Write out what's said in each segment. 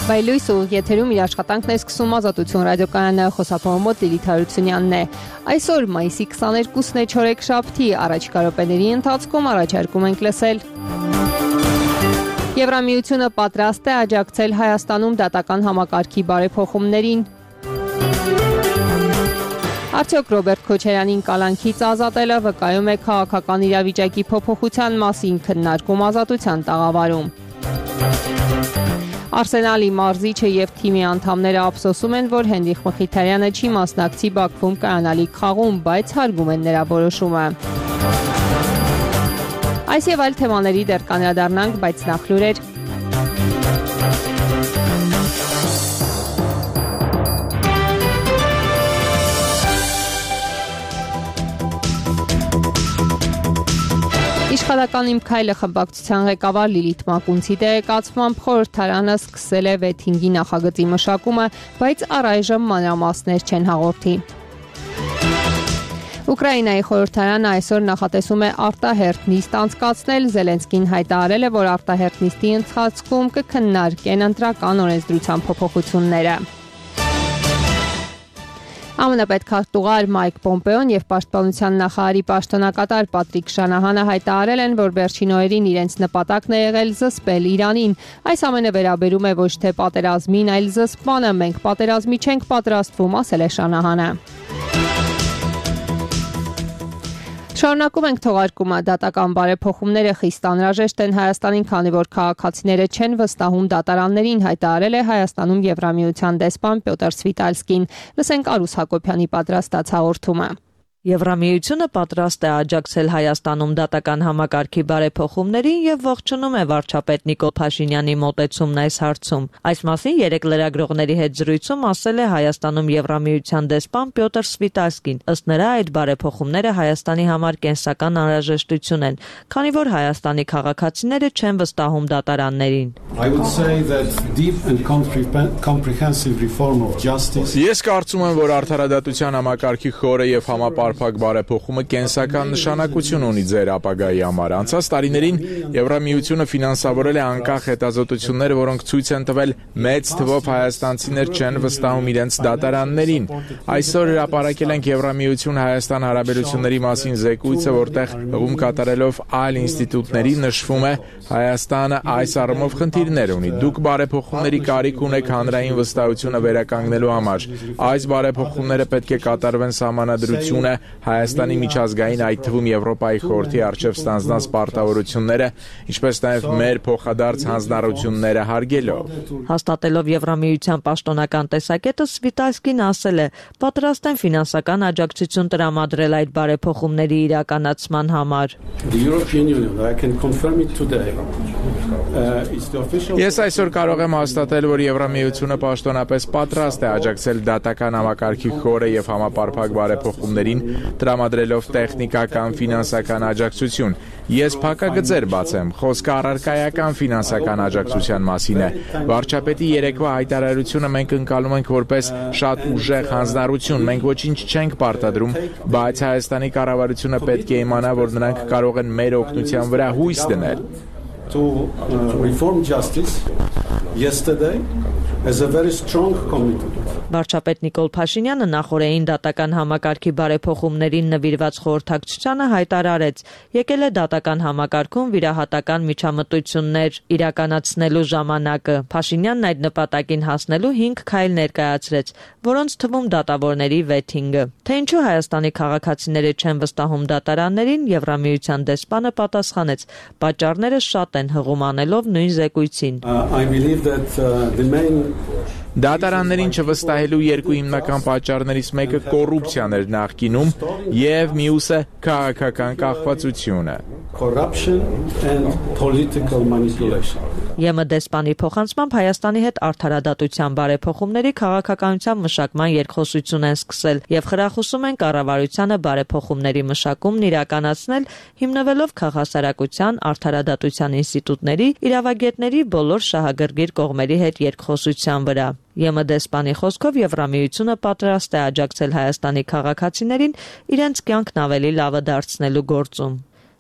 Բայլույս ու եթերում իր աշխատանքն է սկսում Ազատություն ռադիոկայանը, խոսափողամոտ Լիլիթ Հարությունյանն է։ Այսօր մայիսի 22-ն է չորեքշաբթի, առաջիկա րոպեների ընթացքում առաջարկում ենք լսել. Եվրամիությունը պատրաստ է աջակցել Հայաստանում դատական համակարգի բարեփոխումներին։ Արդյոք Ռոբերտ Քոչարյանին կալանքից ազատելը վկայում է քաղաքական իրավիճակի փոփոխության մասին քննարկում Ազատության տաղավարում։ Արսենալի մարզիչը եւ թիմի անդամները ափսոսում են, որ Հենրիխ Մխիթարյանը չի մասնակցի Բաքվում կայանալիք խաղում, բայց հարգում են նրա որոշումը։ Այս եւ այլ թեմաների դեռ կանդրադառնանք, բայց նախ լուրեր։ Իշխանական իմ քայլը խմբակցության ղեկավար Լիլիթ Մակունցի տեղեկացմամբ խորհրդարանը սկսել է վեթինգի նախագծի մշակումը, բայց առայժմ մանրամասներ չեն հաղորդի։ Ուկրաինայի խորհրդարանը այսօր նախատեսում է արտահերթ նիստ անցկացնել, Զելենսկին հայտարարել է, որ արտահերթ նիստի ընթացքում կքննարկեն ընտրական օրենսդրության փոփոխությունները։ ԱՄՆ պետքարտուղար Մայք Պոմպեոն եւ Պաշտպանության նախարարի պաշտոնակատար Պատրիկ Շանահանը հայտարարել են, որ վերջին օրերին իրենց նպատակն է եղել զսպել Իրանին։ Այս ամենը վերաբերում է ոչ թե պատերազմին, այլ զսպմանը։ Մենք պատերազմի չենք պատրաստվում, ասել է Շանահանը։ Շարունակում ենք թողարկումը, դատական բարեփոխումները խիստ անհրաժեշտ են Հայաստանին, քանի որ քաղաքացիները չեն վստահում դատարաններին, հայտարարել է Հայաստանում Եվրամիության դեսպան Պյոտր Սվիտալսկին։ Լսենք Արուս Հակոբյանի պատրաստած հաղորդումը։ Եվրամիությունը պատրաստ է աջակցել Հայաստանում դատական համակարգի բարեփոխումներին եւ ողջունում է վարչապետ Նիկոլ Փաշինյանի մոտեցումն այս հարցում։ Այս մասին երեք լրագրողների հետ զրույցում ասել է Հայաստանում Եվրամիության դեսպան Պյոտր Սվիտալսկին։ Ըստ նրա, այդ բարեփոխումները Հայաստանի համար կենսական անհրաժեշտություն են, քանի որ Հայաստանի քաղաքացիները չեն վստահում դատարաններին։ Ես կարծում եմ, որ արդարադատության համակարգի խորը եւ համապարփակ բարեփոխումը կենսական նշանակություն ունի ձեր ապագայի համար։ Անցած տարիներին Եվրամիությունը ֆինանսավորել է անկախ հետազոտություններ, որոնք ցույց են տվել մեծ թվով հայաստանցիներ չեն վստահում իրենց դատարաններին։ Այսօր հրապարակել ենք Եվրամիություն-Հայաստան հարաբերությունների մասին զեկույցը, որտեղ հղում կատարելով այլ ինստիտուտների նշվում է Հայաստանը այս առումով խնդիրներ ունի։ Դուք բարեփոխումների կարիք ունեք հանրային վստահությունը վերականգնելու համար։ Այս բարեփոխումները պետք է կատարվեն սահմանադրությունը Հայաստանի միջազգային, այդ թվում Եվրոպայի խորհրդի առջև ստանձնած պարտավորությունները, ինչպես նաև մեր փոխադարձ հանձնառությունները հարգելով։ Հաստատելով Եվրամիության պաշտոնական տեսակետը, Սվիտալսկին ասել է, պատրաստ են ֆինանսական աջակցություն տրամադրել այդ բարեփոխումների իրականացման համար։ Ես այսօր կարող եմ հաստատել, որ Եվրամիությունը պաշտոնապես պատրաստ է աջակցել դատական համակարգի խորը եւ համապարփակ բարեփոխումներին, տրամադրելով տեխնիկական, ֆինանսական աջակցություն։ Ես փակագծեր բացեմ, խոսքը առարկայական ֆինանսական աջակցության մասին է։ Վարչապետի երեկվա հայտարարությունը մենք ընկալում ենք որպես շատ ուժեղ հանձնառություն։ Մենք ոչինչ չենք պարտադրում, բայց Հայաստանի կառավարությունը պետք է իմանա, որ նրանք կարող են մեր օգնության վրա հույս դնել։ To reform justice yesterday as a very strong commitment. Վարչապետ Նիկոլ Փաշինյանը նախորդային դատական համակարգի բարեփոխումներին նվիրված խորհրդակցությանը հայտարարեց, եկել է դատական համակարգում վիրահատական միջամտություններ իրականացնելու ժամանակը։ Փաշինյանն այդ նպատակին հասնելու 5 քայլ ներկայացրեց, որոնց թվում դատավորների վեթինգը։ Թե ինչու Հայաստանի քաղաքացիները չեն վստահում դատարաններին, Եվրամիության դեսպանը պատասխանեց. պատճառները շատ են, հղում անելով նույն զեկույցին։ Դատարաններին չվստահելու երկու հիմնական պատճառներից մեկը կոռուպցիան էր նախկինում եւ մյուսը քաղաքական կախվածությունը։ ԵՄ դեսպանի փոխանցմամբ Հայաստանի հետ արդարադատության բարեփոխումների քաղաքականության մշակման երկխոսություն են սկսել եւ խրախուսում են կառավարությանը բարեփոխումների մշակումն իրականացնել, հիմնվելով քաղաքասարակության, արդարադատության ինստիտուտների, իրավագետների բոլոր շահագրգիռ կողմերի հետ երկխոսության վրա։ ԵՄ դեսպանի խոսքով Եվրամիությունը պատրաստ է աջակցել Հայաստանի քաղաքացիներին իրենց կյանքն ավելի լավը դարձնելու գործում։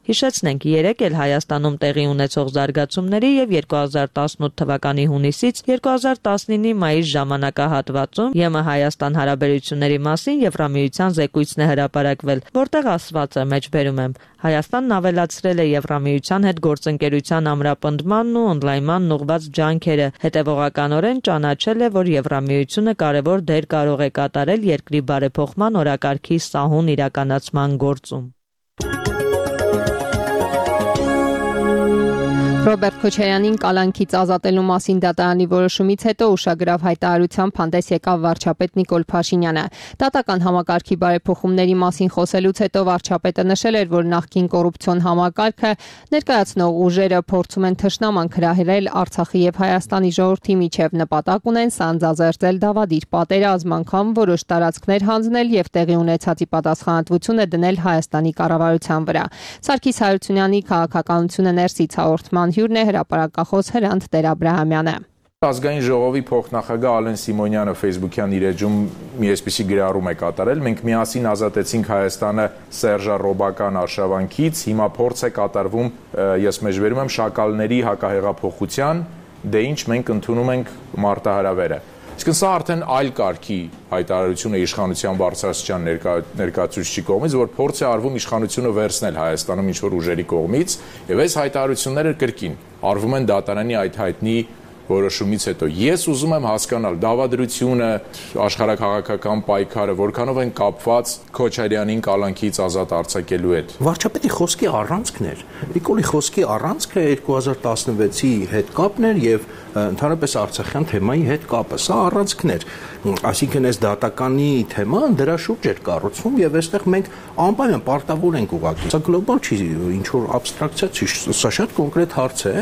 Հիշեցնենք, երեկ էլ Հայաստանում տեղի ունեցող զարգացումների եւ 2018 թվականի հունիսից 2019-ի մայիս ժամանակահատվածում ԵՄ Հայաստան հարաբերությունների մասին Եվրամիության զեկույցն է հրապարակվել, որտեղ ասված է, մեջբերում եմ, Հայաստանն ավելացրել է Եվրամիության հետ գործընկերության ամրապնդմանն ու օնլայնման ուղղված ջանքերը, հետևողականորեն ճանաչել է, որ Եվրամիությունը կարևոր դեր կարող է կատարել երկրի բարեփոխման օրակարգի սահուն իրականացման գործում։ Ռոբերտ Քոչարյանին կալանքից ազատելու մասին դատարանի որոշումից հետո ուշագրավ հայտարարությամբ հանդես եկավ վարչապետ Նիկոլ Փաշինյանը։ Դատական համակարգի բարեփոխումների մասին խոսելուց հետո վարչապետը նշել էր, որ նախկին կոռուպցիոն համակարգը ներկայացնող ուժերը փորձում են թշնամանք հրահրել Արցախի եւ Հայաստանի ժողովրդի միջև, նպատակ ունեն սանձազերծել դավադիր պատերազմ, անգամ որոշ տարածքներ հանձնել եւ տեղի ունեցածի պատասխանատվությունը դնել Հայաստանի կառավարության վրա։ Սարգիս Հայրությունյանի քաղաքականությունը ներսից հաղորդման հյուրն է հրապարակախոս Հրանտ Տեր-Աբրահամյանը։ Ազգային ժողովի փոխնախագահ Ալեն Սիմոնյանը Facebook-յան իր էջում մի այսպիսի գրառում է կատարել. մենք միասին ազատեցինք Հայաստանը սերժառոբական արշավանքից, հիմա փորձ է կատարվում, ես մեջբերում եմ, շակալների հակահեղափոխության, դե ինչ մենք ընդունում ենք մարտահրավերը։ Իսկ սա արդեն այլ կարգի հայտարարություն է իշխանության բարձրաստիճան ներկայացուցիչի կողմից, որ փորձ է արվում իշխանությունը վերցնել Հայաստանում ինչ-որ ուժերի կողմից, եւ այս հայտարարությունները կրկին արվում են դատարանի այդ հայտնի որոշումից հետո։ Ես ուզում եմ հասկանալ դավադրությունը, աշխարհաքաղաքական պայքարը որքանով են կապված Քոչարյանին կալանքից ազատ արձակելու հետ։ Վարչապետի խոսքի առանցքն էր։ Նիկոլի խոսքի առանցքը 2016-ի հետ կապն էր եւ ընդհանրապես Արցախյան թեմայի հետ կապը։ Սա առանցքն էր։ Այսինքն այս դատականի թեման դրա շուրջ էր կառուցվում եւ այստեղ մենք անպայման պարտավոր ենք ուղղակի։ Սա գլոբալ չի, ինչ որ աբստրակցիա չի, սա շատ կոնկրետ հարց է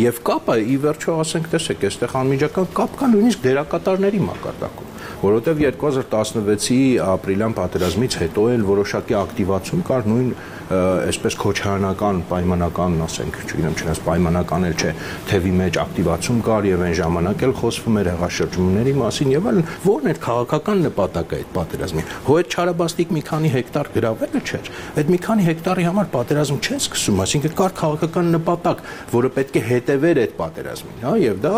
եւ կապը ի վերջո ասենք տեսեք, այստեղ անմիջական կապ կա նույնիսկ դերակատարների մակարդակում, որովհետեւ 2016-ի ապրիլյան պատերազմից հետո էլ որոշակի ակտիվացում կար նույն այսպես քոչարանական պայմանական, ասենք, չգիտեմ, չնայած պայմանական էլ չէ, թևի մեջ ակտիվացում կար եւ այն ժամանակ էլ խոսվում էր հեղաշրջումների մասին եւ այլն, որն էր քաղաքական նպատակը այդ պատերազմի։ Հո այդ չարաբաստիկ մի քանի հեկտար գրավելը չէր։ Այդ մի քանի հեկտարի համար պատերազմ չեն սկսում, այսինքն կար քաղաքական նպատակ, որը պետք է հետևեր այդ պատերազմին, հա, եւ դա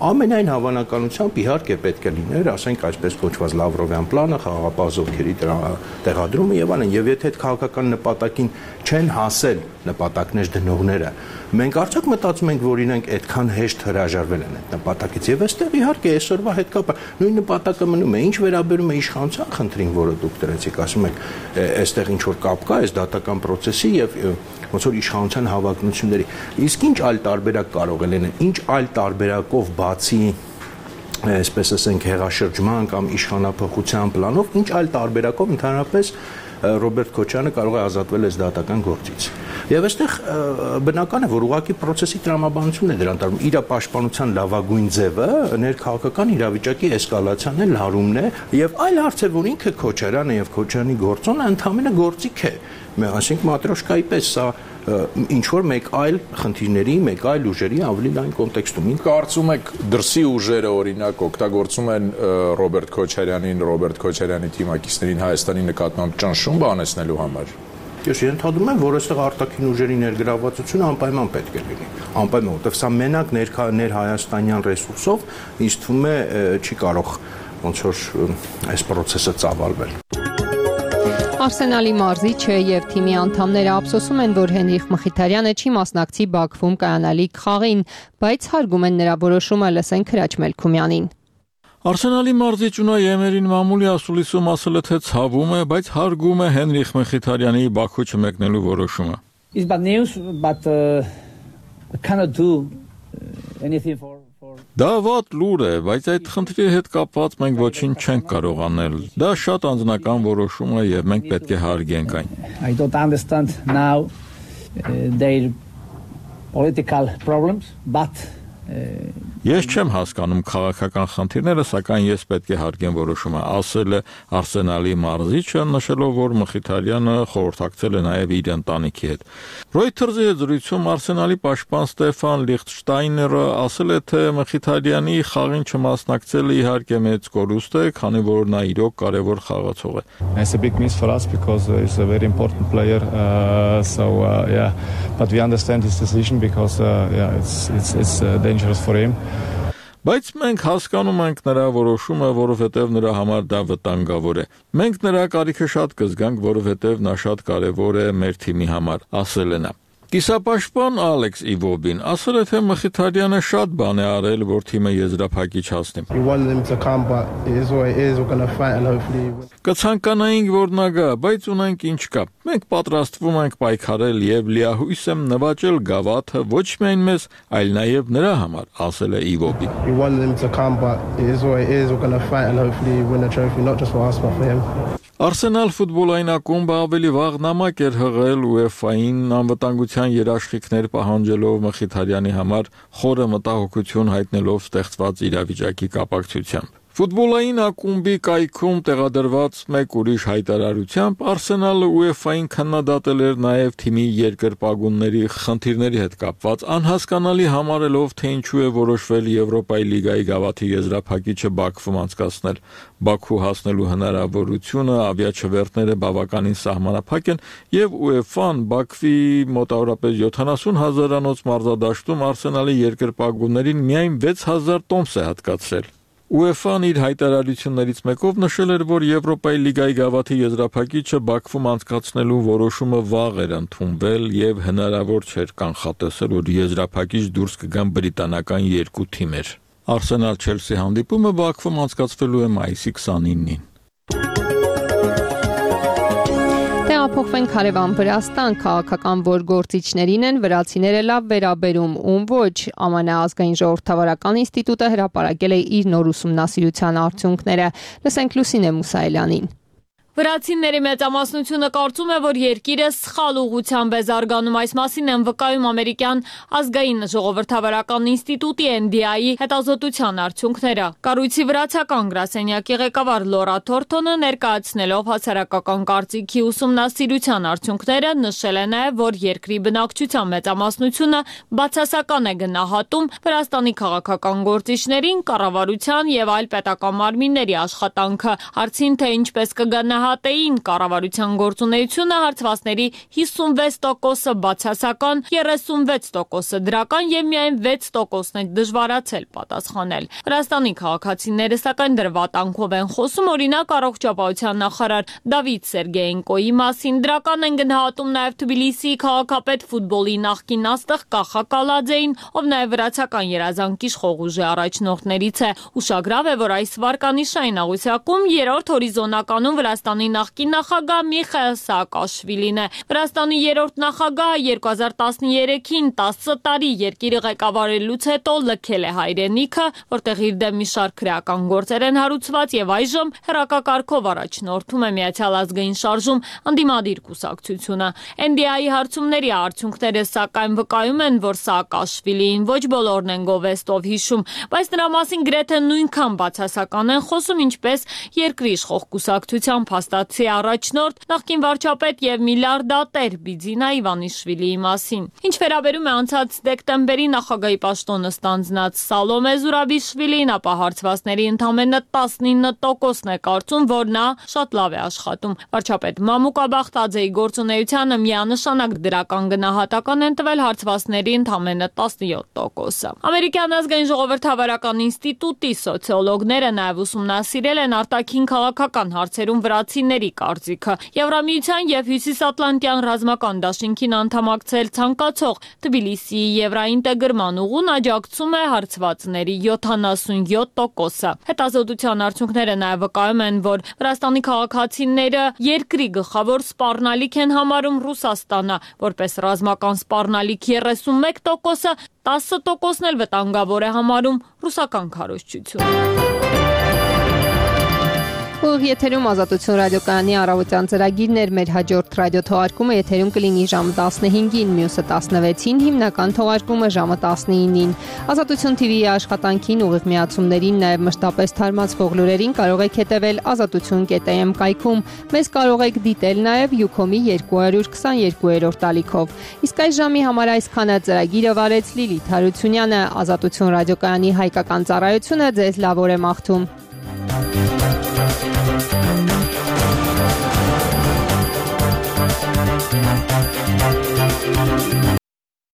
ամենայն հավանականությամբ իհարկե պետք է լիներ, ասենք այսպես կոչված Լավրովյան պլանը, խաղաղապահ զորքերի տեղադրումը եւ այլն, եւ եթե այդ քաղաքական նպատակին չեն հասել նպատակներ դնողները, մենք արդյոք մտածում ենք, որ իրենք այդքան հեշտ հրաժարվել են այդ նպատակից եւ այստեղ իհարկե այսօրվա հետ կապը նույն նպատակը մնում է, ինչ վերաբերում է իշխանության խնդրին, որը դուք դրեցիք, ասում եք, այստեղ ինչ որ կապ կա այս դատական process-ի եւ ոնց որ իշխանության հավակնությունների, իսկ ինչ այլ տարբերակ կարող է լինել, ինչ այլ տարբերակով բացի այսպես ասենք հեղաշրջման կամ իշխանափոխության պլանով, ինչ այլ տարբերակով ընդհանրապես Ռոբերտ Քոչյանը կարող է ազատվել այս դատական գործից։ Եվ այստեղ բնական է, որ ուղղակի process-ի տրամաբանությունն է դրան տարվում, իր պաշտպանության լավագույն ձևը ներքաղաքական իրավիճակի էսկալացիան է, լարումն է, եւ այլ հարց է, որ ինքը Քոչարյանը եւ Քոչյանի գործոնը ընդհանրապես գործիք է։ Այսինքն մատրոշկայի պես սա ինչ որ մեկ այլ խնդիրների, մեկ այլ ուժերի ավելի լայն կոնտեքստում։ Կարծում եք դրսի ուժերը օրինակ օգտագործում են Ռոբերտ Քոչարյանին, Ռոբերտ Քոչարյանի թիմակիցներին Հայաստանի նկատմամբ ճնշում բանեցնելու համար։ Ես ենթադրում եմ, որ այստեղ արտաքին ուժերի ներգրավվածությունը անպայման պետք է լինի։ Անպայման, որովհետև սա մենակ ներհայաստանյան ռեսուրսով ինձ թվում է չի կարող ոնց որ այս process-ը ծավալվել։ Արսենալի մարզիչը եւ թիմի անդամները ափսոսում են, որ Հենրիխ Մխիթարյանը չի մասնակցի Բաքվում կայանալիք խաղին, բայց հարգում են նրա որոշումը, լսենք Հրաչ Մելքումյանին։ Արսենալի մարզիչ Ունայ Էմերին մամուլի ասուլիսում ասել է, թե ցավում է, բայց հարգում է Հենրիխ Մխիթարյանի Բաքու չմեկնելու որոշումը։ It's bad news, but we cannot do anything for Դա վատ լուր է, բայց այդ խնդրի հետ կապված մենք ոչինչ չենք կարող անել։ Դա շատ անձնական որոշում է եւ մենք պետք է հարգենք այն։ I don't understand now their political problems, but Ես չեմ հասկանում քաղաքական խնդիրները, սակայն ես պետք է հարգեմ որոշումը, ասել է Արսենալի մարզիչը, նշելով, որ Մխիթարյանը խորհրդակցել է նաև իր ընտանիքի հետ։ Reuters-ի հետ զրույցում Արսենալի պաշտպան Ստեֆան Լիխտշտայները ասել է, թե Մխիթարյանի խաղին չմասնակցելը իհարկե մեծ կորուստ է, քանի որ նա իրոք կարևոր խաղացող է։ It's a big miss for us because he's a very important player, but we understand his decision because it's dangerous for him. Բայց մենք հասկանում ենք նրա որոշումը, որովհետև նրա համար դա վտանգավոր է։ Մենք նրա կարիքը շատ կզգանք, որովհետև նա շատ կարևոր է մեր թիմի համար, ասել է նա։ Կիսապաշտպան Ալեքս Իվոբին ասել է, թե Մխիթարյանը շատ բան է արել, որ թիմը եզրափակիչ հասնի։ Կցանկանայինք, որ նա գա, բայց ունենք ինչ կա։ Մենք պատրաստվում ենք պայքարել եւ լիահույս եմ նվաճել գավաթը ոչ միայն մեզ, այլ նաեւ նրա համար, ասել է Իվոբին։ Արսենալ ֆուտբոլային ակումբը ավելի վաղ նամակ էր հղել UEFA-ին անվտանգության երաշխիքներ պահանջելով Մխիթարյանի համար խորը մտահոգություն հայտնելով ստեղծված իրավիճակի կապակցությամբ։ Ֆուտբոլային ակումբի կայքում տեղադրված մեկ ուրիշ հայտարարությամբ Արսենալը UEFA-ին քննադատել էր նաև թիմի երկրպագունների խնդիրների հետ կապված, անհասկանալի համարելով, թե ինչու է որոշվել Եվրոպայի լիգայի գավաթի եզրափակիչը Բաքվում անցկացնել։ Բաքու հասնելու հնարավորությունը ավիաչվերթները բավականին սահմանափակ են եւ UEFA-ն Բաքվի մոտավորապես 70,000-անոց մարզադաշտում Արսենալի երկրպագուններին միայն 6,000 տոմս է հատկացրել։ UEFA-ն իր հայտարարություններից մեկով նշել էր, որ Եվրոպայի լիգայի գավաթի եզրափակիչը Բաքվում անցկացնելու որոշումը վաղ էր ընդունվել եւ հնարավոր չէր կանխատեսել, որ եզրափակիչ դուրս կգան բրիտանական երկու թիմեր։ Արսենալ-Չելսի հանդիպումը Բաքվում անցկացվելու է մայիսի 29-ին։ Տեղափոխվենք հարևան Վրաստան, քաղաքական որ գործիչներին են վրացիները լավ վերաբերում, ում ոչ, ԱՄՆ ազգային ժողովրդավարական ինստիտուտը հրապարակել է իր նոր ուսումնասիրության արդյունքները։ Լսենք Լուսինե Մուսայելյանին։ Վրացիների մեծամասնությունը կարծում է, որ երկիրը սխալ ուղղությամբ է զարգանում, այս մասին են վկայում ամերիկյան ազգային ժողովրդավարական ինստիտուտի NDI-ի հետազոտության արդյունքները։ Կառույցի վրացական գրասենյակի ղեկավար Լորա Թորթոնը ներկայացնելով հասարակական կարծիքի ուսումնասիրության արդյունքները նշել է նաև, որ երկրի բնակչության մեծամասնությունը բացասական է գնահատում Վրաստանի քաղաքական գործիչներին, կառավարության եւ այլ պետական մարմինների աշխատանքը։ Հարցին, թե ինչպես կգնահատեին կառավարության գործունեությունը, հարցվածների 56%-ը բացասական, 36%-ը դրական եւ միայն 6%-ն է դժվարացել պատասխանել։ Վրաստանի քաղաքացիները սակայն դրվատանքով են խոսում, օրինակ առողջապահության նախարար Դավիթ Սերգեյենկոյի մասին, դրական են գնահատում նաեւ Թբիլիսիի քաղաքապետ ֆուտբոլի նախկին աստղ Կախա Կալաձեին, ով նաեւ վրացական երազանքի իշխող առաջնորդներից է։ Ուշագրավ է, որ այս վարկանիշային աղյուսակում երրորդ հորիզոնականում Վրաստանի նախկին նախագահ Միխայիլ Սաակաշվիլին է։ Վրաստանի երրորդ նախագահը 2013-ին 10 տարի երկիրը ղեկավարելուց հետո լքել է հայրենիքը, որտեղ իր դեմ մի շարք քրեական գործեր են հարուցված եւ այժմ հերակակարգով առաջնորդում է Միացյալ ազգային շարժում ընդդիմադիր կուսակցությունը։ NDI-ի հարցումների արդյունքները սակայն վկայում են, որ Սաակաշվիլին ոչ բոլորն են գովեստով հիշում, բայց նրա մասին գրեթե նույնքան բացասական են խոսում, ինչպես երկրի իշխող կուսակցության փաստացի առաջնորդ, նախկին վարչապետ եւ միլիարդատեր Բիձինա Իվանիշվիլիի մասին։ Ինչ վերաբերում է անցած դեկտեմբերի նախագահի պաշտոնը ստանձնած Սալոմե Զուրաբիշվիլին, ապա հարցվածների ընդամենը 19%-ն է կարծում, որ նա շատ լավ է աշխատում։ Վարչապետ Մամուկա Բախտաձեի գործունեությանը միանշանակ դրական գնահատական են տվել հարցվածների ընդամենը 17%-ը։ Ամերիկյան ազգային ժողովրդավարական ինստիտուտի սոցիոլոգները նաև ուսումնասիրել են արտաքին քաղաքական հարցերում վրացիների կարծիքը։ Եվրամիության եւ Հյուսիսատլանտյան ռազմական դաշինքին անդամակցել ցանկացող Թբիլիսիի եվրաինտեգրման ուղուն աջակցում է հարցվածների 77%-ը։ Հետազոտության արդյունքները նաև վկայում են, որ Վրաստանի քաղաքացիները երկրի գլխավոր սպառնալիք են համարում Ռուսաստանը, որպես ռազմական սպառնալիք 31%-ը, 10%-ն էլ վտանգավոր է համարում ռուսական քարոզչությունը։ Ուղիղ եթերում Ազատություն ռադիոկայանի առավոտյան ծրագիրներ, մեր հաջորդ ռադիոթողարկումը եթերում կլինի ժամը 15-ին, մյուսը 16-ին, հիմնական թողարկումը ժամը 19-ին։ Ազատություն TV-ի աշխատանքին, ուղիղ միացումներին, նաև մշտապես թարմացվող լուրերին կարող եք հետևել azatutun.am կայքում։ Մեզ կարող եք դիտել նաև Ucom-ի 222-րդ ալիքով։ Իսկ այս ժամի համար այսքանը ծրագիրը վարեց Լիլիթ Հարությունյանը, Ազատություն ռադիոկայանի հայկական ծառայությունը ձեզ լավ օր է մաղթում։